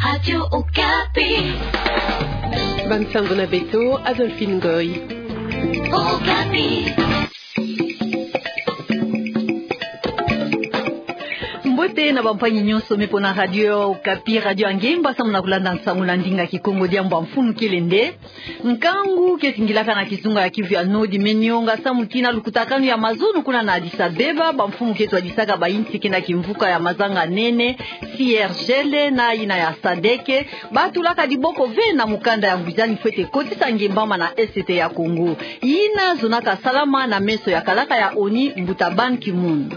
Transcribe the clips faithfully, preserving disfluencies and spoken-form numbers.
Radio Okapi. Bansango na beto, Adolphine Ngoy. Okapi. Mbote na bampangi nyonso me pona Radio Okapi, Radio ya Ngemba, samu na kulanda nsangu na ndinga Kikongo. Diambu ya mfunu kele nde: nkangu ke zingilaka na kizunga ya Kivu ya Nord me nionga samu tii na lukutakanu ya mazono kuna na Addis Abeba. Bamfumu ke twadisaka bainsi ke na kimvuka ya mazanga nene, C I R G L na yina ya sadeke, batulaka diboko ve na mukanda ya ngwizani fwete kotisa ngemba ma na Est ya Congo. Yina zonaka salama na meso ya kalaka ya ONU, mbuta Ban Ki-moon.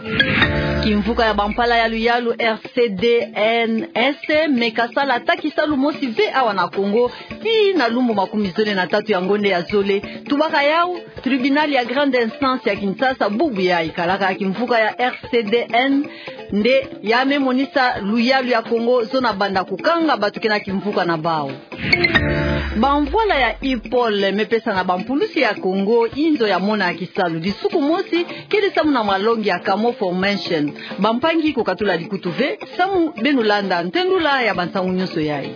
Kimvuka ya bampala ya luyalu R C D N S me kasala ata kisalu mosi ve awa na Congo, tii na lumbu makumi zole na tatu ya ngonde ya zole. Tubaka yau, tribunal ya grande instance ya Kinshasa bubu yayi, kalaka ya kimvuka ya R C D N nde ya me monisa luyalu ya Congo zona banda kukanga bato ke na kimvuka na bau. Bamvwala ya IPOL me pesa na bampulusi ya Congo inzo ya mona ya kisalu. Disuku mosi kele samu na malongi ya Camo Formation. Bampangi, kukatula likutu ve samu beno landa ntendula ya bansangu nyonso yayi.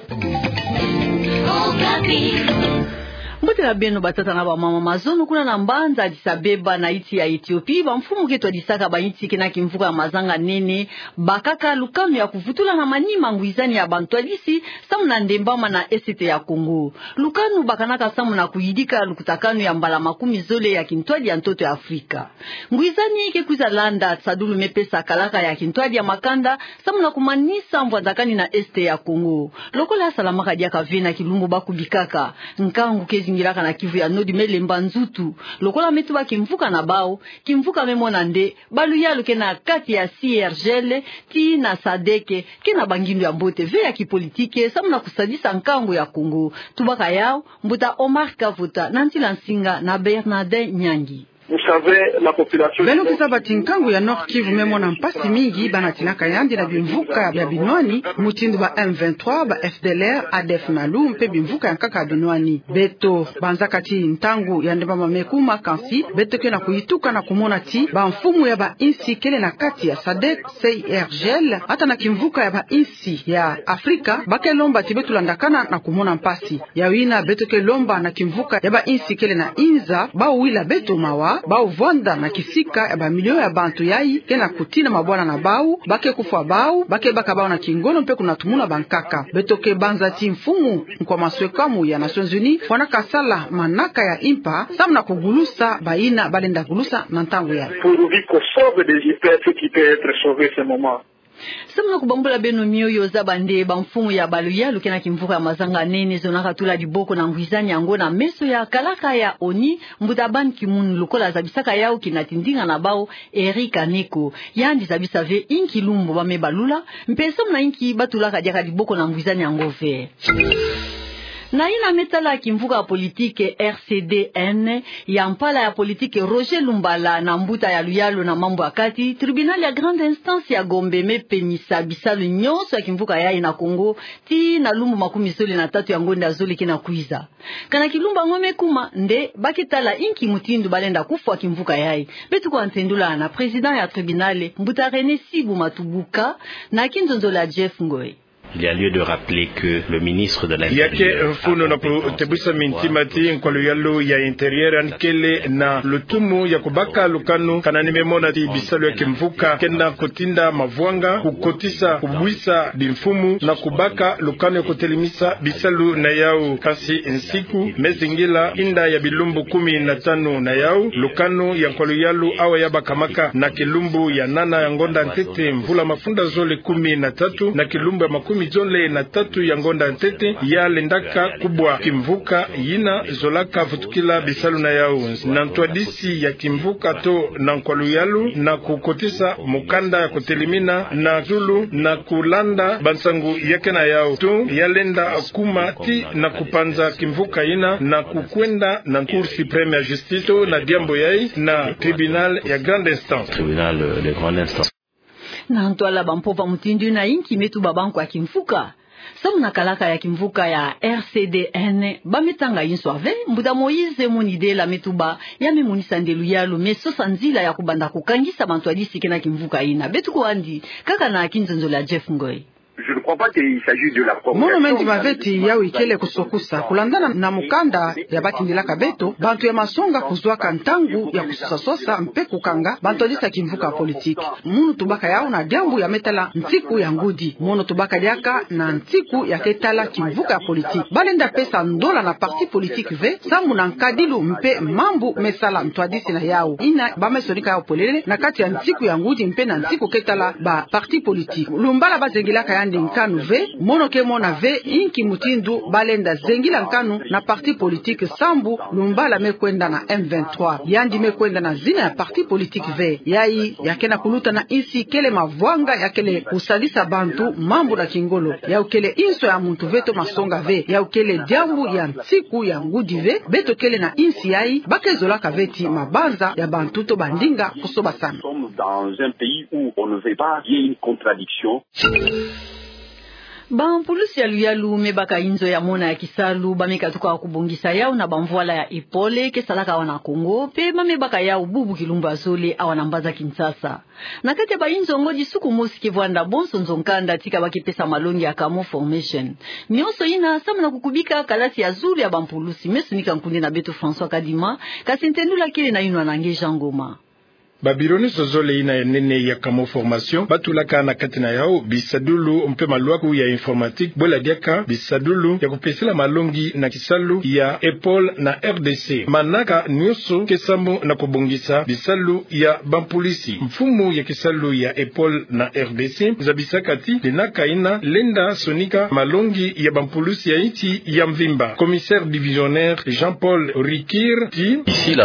Mbote na beno batata na bamama. Mazono kuna na mbanza Addis Abeba na insi ya Ethiopie, bamfumu ke twadisaka bainsi ke na kimvuka ya mazanga nene bakaka lukanu ya kuvutula na manima ngwizani ya bantwadisi samu na ndemba ma na Est ya Congo. Lukanu bakanaka samu na kuyidika lukutakanu ya mbala makumi zole ya kintwadi ya ntoto ya Afrika. Ngwizani ke kwiza landa sadulu me pesa kalaka ya kintwadi ya makanda samu na kumanisa mvwandakani na Est ya Congo. Lokola salamaka diaka ve na kilumbu ba kubikaka, nkangu ke zingilaka na Kivu ya Nord me lemba nzutu. Lokola me tuba kimvuka na bau, kimvuka me mona nde baluyalu ke na kati ya C I R G L tii na sadeke ke na bangindu ya mbote ve ya kipolitike samu na kusadisa nkangu ya Congo. Tubaka yau, mbuta Omar Kavota na Ntila Nsinga na Bernardin Nyangi. Vous savez, la population... Beno ke zaba ti nkangu ya Nord-Kivu me mona mpasi mingi, bana tinaka yandi na bimvuka ya binwani, mutindu ba M vingt-trois, ba F D L R, A D F Nalu, mpe bimvuka ya nkaka ya binwani. Beto banzaka ti ntangu ya ndemba ma me kuma, kansi beto ke na kuyituka na kumona ti bamfumu ya bainsi kele na kati ya sadek, C I R G L, ata na kimvuka ya bainsi ya Afrika, ba ke lomba ti beto landakana na kumona mpasi. Yau yina beto ke lomba na kimvuka ya bainsi kele na inza, bau wila beto mawa, bau vwanda na kisika ya bamilio ya bantu yayi ke na kutina mabwana na bau, ba ke kufwa bau, ba ke baka bau na kingolo mpe kunatumuna bankaka. Beto ke banza ti mfumu Nkwa Maswekamu ya Nations Unies fwanaka sala manaka ya impa, samu na kugulusa bayina balenda gulusa na ntangu yayi. Pourvu qu'on sauve des vies, ce qui peut être sauvé ce moment. Samu na kubambula beno mioyo, zaba nde bamfumu ya baluyalu ke na kimvuka ya mazanga nene zonaka tula diboko na ngwizani yango na meso ya kalaka ya ONU, mbuta Ban Ki-moon, lokola zabisaka yau kina tindinga na bau, Eric Kaneko. Yandi zabisa ve inki lumbu ba me balula, mpe samu na inki ba tulaka diaka diboko na ngwizani yango ve. Na yina me tala kimvuka ya politike R C D N, ya mpala ya politike Roger Lumbala na mbuta ya luyalu na mambu ya kati, tribunal ya grande instance ya Gombe me penisa bisalu nyonso ya kimvuka yayi na Congo, tii na lumbu makumi zole na tatu ya ngonda zole ke na kwiza. Kana kilumbu yango me kuma, nde ba ke tala inki mutindu balenda kufwa kimvuka yayi. Beto kutendula na président ya tribunal, mbuta René Sibu Matubuka, na kinzonzolo ya Jeff Ngoy. Il y a lieu de rappeler que le ministre de l'Intérieur... Ya ke mfunu na kutebwisa mintima ti nkwa luyalu ya Intérieur yandi kele na lutumu ya kubaka lukanu kana ni me mona ti bisalu ya kimvuka kenda kutinda mavwanga, kukotisa, kubwisa bimfumu na kubaka lukanu ya kutelemisa bisalu na yau. Kansi nsiku me zingila inda ya bilumbu kumi na tanu na yau, lukanu ya nkwa luyalu awa ya bakamaka na kilumbu ya nana ya ngonda ntete, mvula mafunda zole kumi na tatu, na kilumbu ya makumi zole na tatu ya ngonda ntete, ya lendaka kubwa kimvuka yina zolaka vutukila bisalu na yau. Na ntwadisi ya kimvuka to na nkwa luyalu, na kukotisa mukanda ya kutelemina na zulu, na kulanda bansangu ya ke na yau to, ya lenda kuma ti na kupanza kimvuka yina na kukwenda na Cour suprême ya justice to na diambu yayi na tribunal ya grande instance. Tribunal de grande instance. Na ntwala bampova mutindu yina, inki me tuba bankwa kimvuka? Samu na kalaka ya kimvuka ya R C D N, ba me tanga inso ave, mbuta Moïse Monidela me tuba ya me monisa nde luyalu me sosa nzila ya kubanda kukangisa bantwadisi ke na kimvuka yina. Beto kwandi, kaka na kinzonzolo ya Jeff Ngoy. Mono me ndima ve ti yawu ikele kusokusa. Kulandana na mukanda ya batindilaka beto, bantu ya masonga kuzwaka ntangu ya kusosa-sosa mpe kukanga bantwadisi ya kimvuka ya politiki. Mono tubaka yawu na diambu ya me tala nsiku ya ngudi. Mono tubaka diaka na nsiku ya ke tala kimvuka ya politiki. Balenda pesa ndola na parti politiki ve, samu na nkadilu mpe mambu me sala ntwadisi na yawu. Yina ba me sonika yawu polele na kati ya nsiku ya ngudi mpe na nsiku ke tala ba parti politique. Lumbala bazengilaka yandi nkanu ve, mono ke mona ve inki mutindu balenda zengila nkanu na parti politique sambu lumbala me kwenda na M vingt-trois. Yandi me kwenda na zina ya parti politique ve. Yayi ya ke na kuluta na insi kele mavwanga ya kele kusalisa bantu mambu na kingolo. Yawu kele inso ya muntu ve to masonga ve. Yawu kele diambu ya nsiku ya ngudi ve. Beto kele na insi yayi, ba ke zolaka ve ti mabanza ya bantu to bandinga kusobasana. Nous sommes dans un pays où on ne veut pas qu'il y ait une contradiction. Bampulusi ya luyalu me baka inzo ya mona ya kisalu, ba me katuka kubongisa yawu na bamvwala ya épaules ke salaka awa na Congo, mpe ba me baka yawu bubu kilumbu ya zole awa na mbanza Kinshasa. Na kati ya bainzo ngodi suku mosi ke vwanda bonso nzo-nkanda tika ba ke pesa malongi ya camo formation. Nionso yina samu na kukubika kalasi ya zulu ya bampulusi. Me sonika nkundi na beto François Kadima, kasi ntendula kele na yinwa na nge Jean Ngoma. Babiro nionso zole yina ya nene ya camo formation, ba tulaka na kati na yawu bisadulu mpe malwaku ya informatique, bwela diaka bisadulu ya kupesela malongi na kisalu ya épaules na R D C. Manaka nionso ke samu na kubongisa bisalu ya bampulusi. Mfumu ya kisalu ya épaules na R D C zabisaka ti dinaka yina lenda sonika malongi ya bampulusi ya insi ya mvimba. Commissaire divisionnaire Jean-Paul Rikir ti: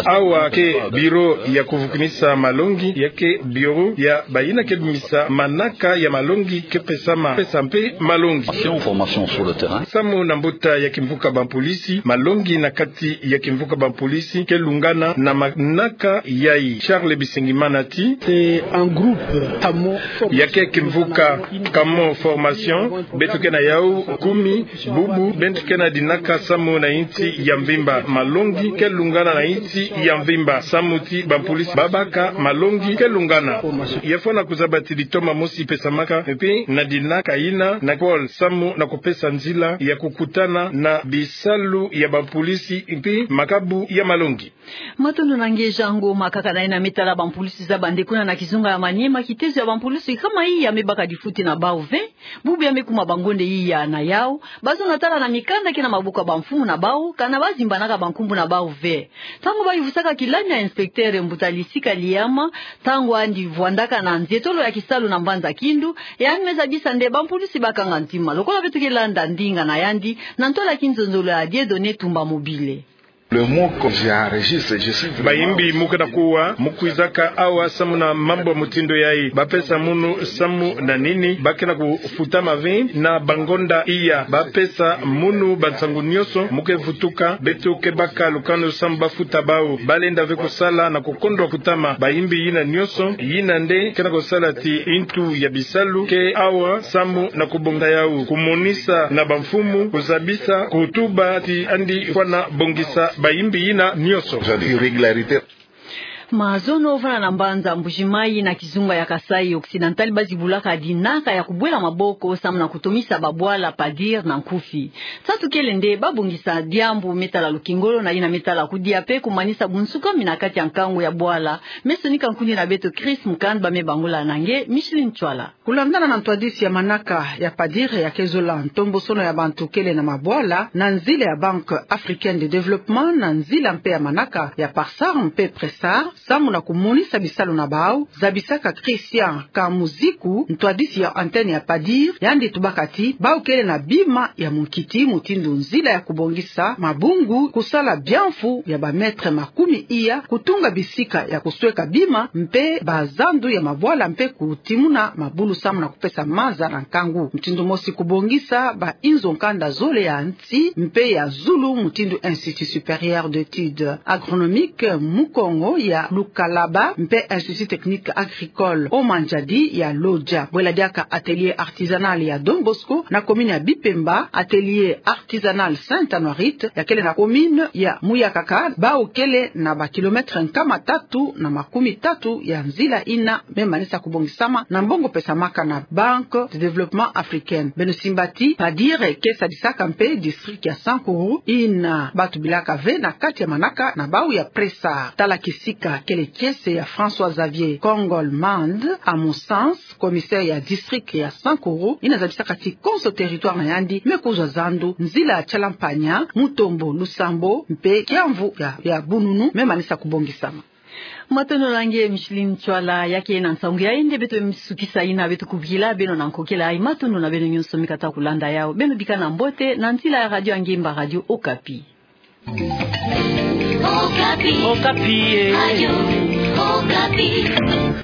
Awa ke biro ya kuvukinisa malongi, ya ke biro ya bayina ke bimisa manaka ya malongi ke pesama, pesa mpe malongi. Formation sur le terrain. Samu na mbuta ya kimvuka bampolisi, malongi na kati ya kimvuka bampolisi ke lungana na manaka yayi. Charles Bisengimana ti: C'est un groupe camo formation. Ya ke kimvuka camo formation, beto ke na yawu kumi, bubu beto ke na dinaka samu na insi ya mvimba. Malongi ke lungana na insi ya mvimba, samu ti bampolisi ba baka malongi ke lungana. Ya fwana kuzaba ti litoma mosi pesamaka mpe na dinaka yina na épaules samu na kupesa nzila ya kukutana na bisalu ya bampolisi mpe makabu ya malongi. Matondo na nge Jean Ngoma. Kaka na yina me tala bampulusi za bande kuna na kizunga ya Maniema, kitezo ya bampulusi kama iya me baka difuti na bawu ve. Bubu ya me kuma bangonde iya na yawu, bazono tala na mikanda ke na maboko ya bamfumu na bawu, kana ba zimbanaka bankumbu na bawu ve. Ntangu ba yuvusaka kilami ya inspecteur Mbuta Lisika Liama, ntangu yandi vwandaka na nzietolo ya kisalu na mbanza Kindu, yandi me zabisa nde bampulusi ba kanga ntima. Lokola beto ke landa ndinga na yandi, na ntola ya kinzonzolo ya Dieudonné Tumba Mobile. Le mot que j'enregistre, je suis vraiment... Bayimbi mu ke na kuwa, mu kwizaka awa samu na mambu ya mutindu yayi. Ba pesa munu samu na nini? Ba ke na kufutama ve na bangonda iya. Ba pesa munu bansangu nionso mu ke vutuka, beto ke baka lukanu samu ba futa bawu. Ba lenda ve kusala na kukondwa kutama. Bayimbi yina nionso, yina nde ke na kusala ti intu ya bisalu ke awa samu na kubongisa yawu, kumonisa na bamfumu, kuzabisa, kutuba ti yandi fwana bongisa bayimbi yina nionso. Irrégularité. Mazono, vana na mbanza Mbuji-Mayi na kizunga ya Kasaï Occidental ba zibulaka dinaka ya kubwela maboko samu na kutomisa babwala, padir na nkufi. Nsatu kele nde ba bongisa diambu me tala lukingolo na yina me tala kudia mpe kumanisa bunsukami na kati ya nkangu ya bwala. Me sonika nkundi na beto Chris Mukand, ba me bangula na nge Micheline Chwala. Kulandana na ntwadisi ya manaka ya padir ya ke zola ntombosono ya bantu kele na mabwala na nzila ya Banque Africaine de Développement, na nzila mpe ya manaka ya PARSAR mpe PRESAR, samu na kumonisa bisalu na bawu, zabisaka Christian Kamuziku, ntwadisi ya antenne ya padir, yandi tubaka ti bawu kele na bima ya munkiti mutindu nzila ya kubongisa mabungu, kusala biamfu ya ba mètres makumi iya, kutunga bisika ya kusweka bima mpe bazandu ya mabwala mpe kutimuna mabulu samu na kupesa maza na nkangu. Mutindu mosi kubongisa bainzo nkanda zole ya nsi mpe ya zulu mutindu Institut Supérieur d'Études Agronomiques mu Kongo ya Lukalaba mpe Institut Technique Agricole o Manjadi ya Lodja. Bwela diaka atelier artisanal ya Don Bosco na commune ya Bipemba, atelier artisanal Sainte-Anouarite ya kele na commune ya Muyakaka, bau kele na ba kilomètre nkama tatu na makumi tatu ya nzila ina me manisa kubongisama na mbongo pesamaka na Banque de Développement Africaine. Beno simba ti PADIR ke sadisaka mpe district ya Sankuru ina batubilaka ve na kati ya manaka na bau ya presa. Tala kisika kele kiese ya François Xavier Kongol Mand, à mon sens, commissaire ya district ya Sankuru, ina zabisaka ti konso territoire na yandi me kuzwa zandu nzila ya Tialampanya, Mutombo, Lusambo mpe Kiamvu ya, ya Bununu me manisa kubongisama. Matondo na nge Micheline Ntsoila, ya ke na nsangu ya yandi beto sukisa ina beto kubikila beno na nkokila ayi. Matondo na beno nyonso mi kata kulanda yawu. Beno bikana mbote na nzila ya radio ya nge mba, Radio Okapi. Okapi. Okapi, eh. Radio Okapi.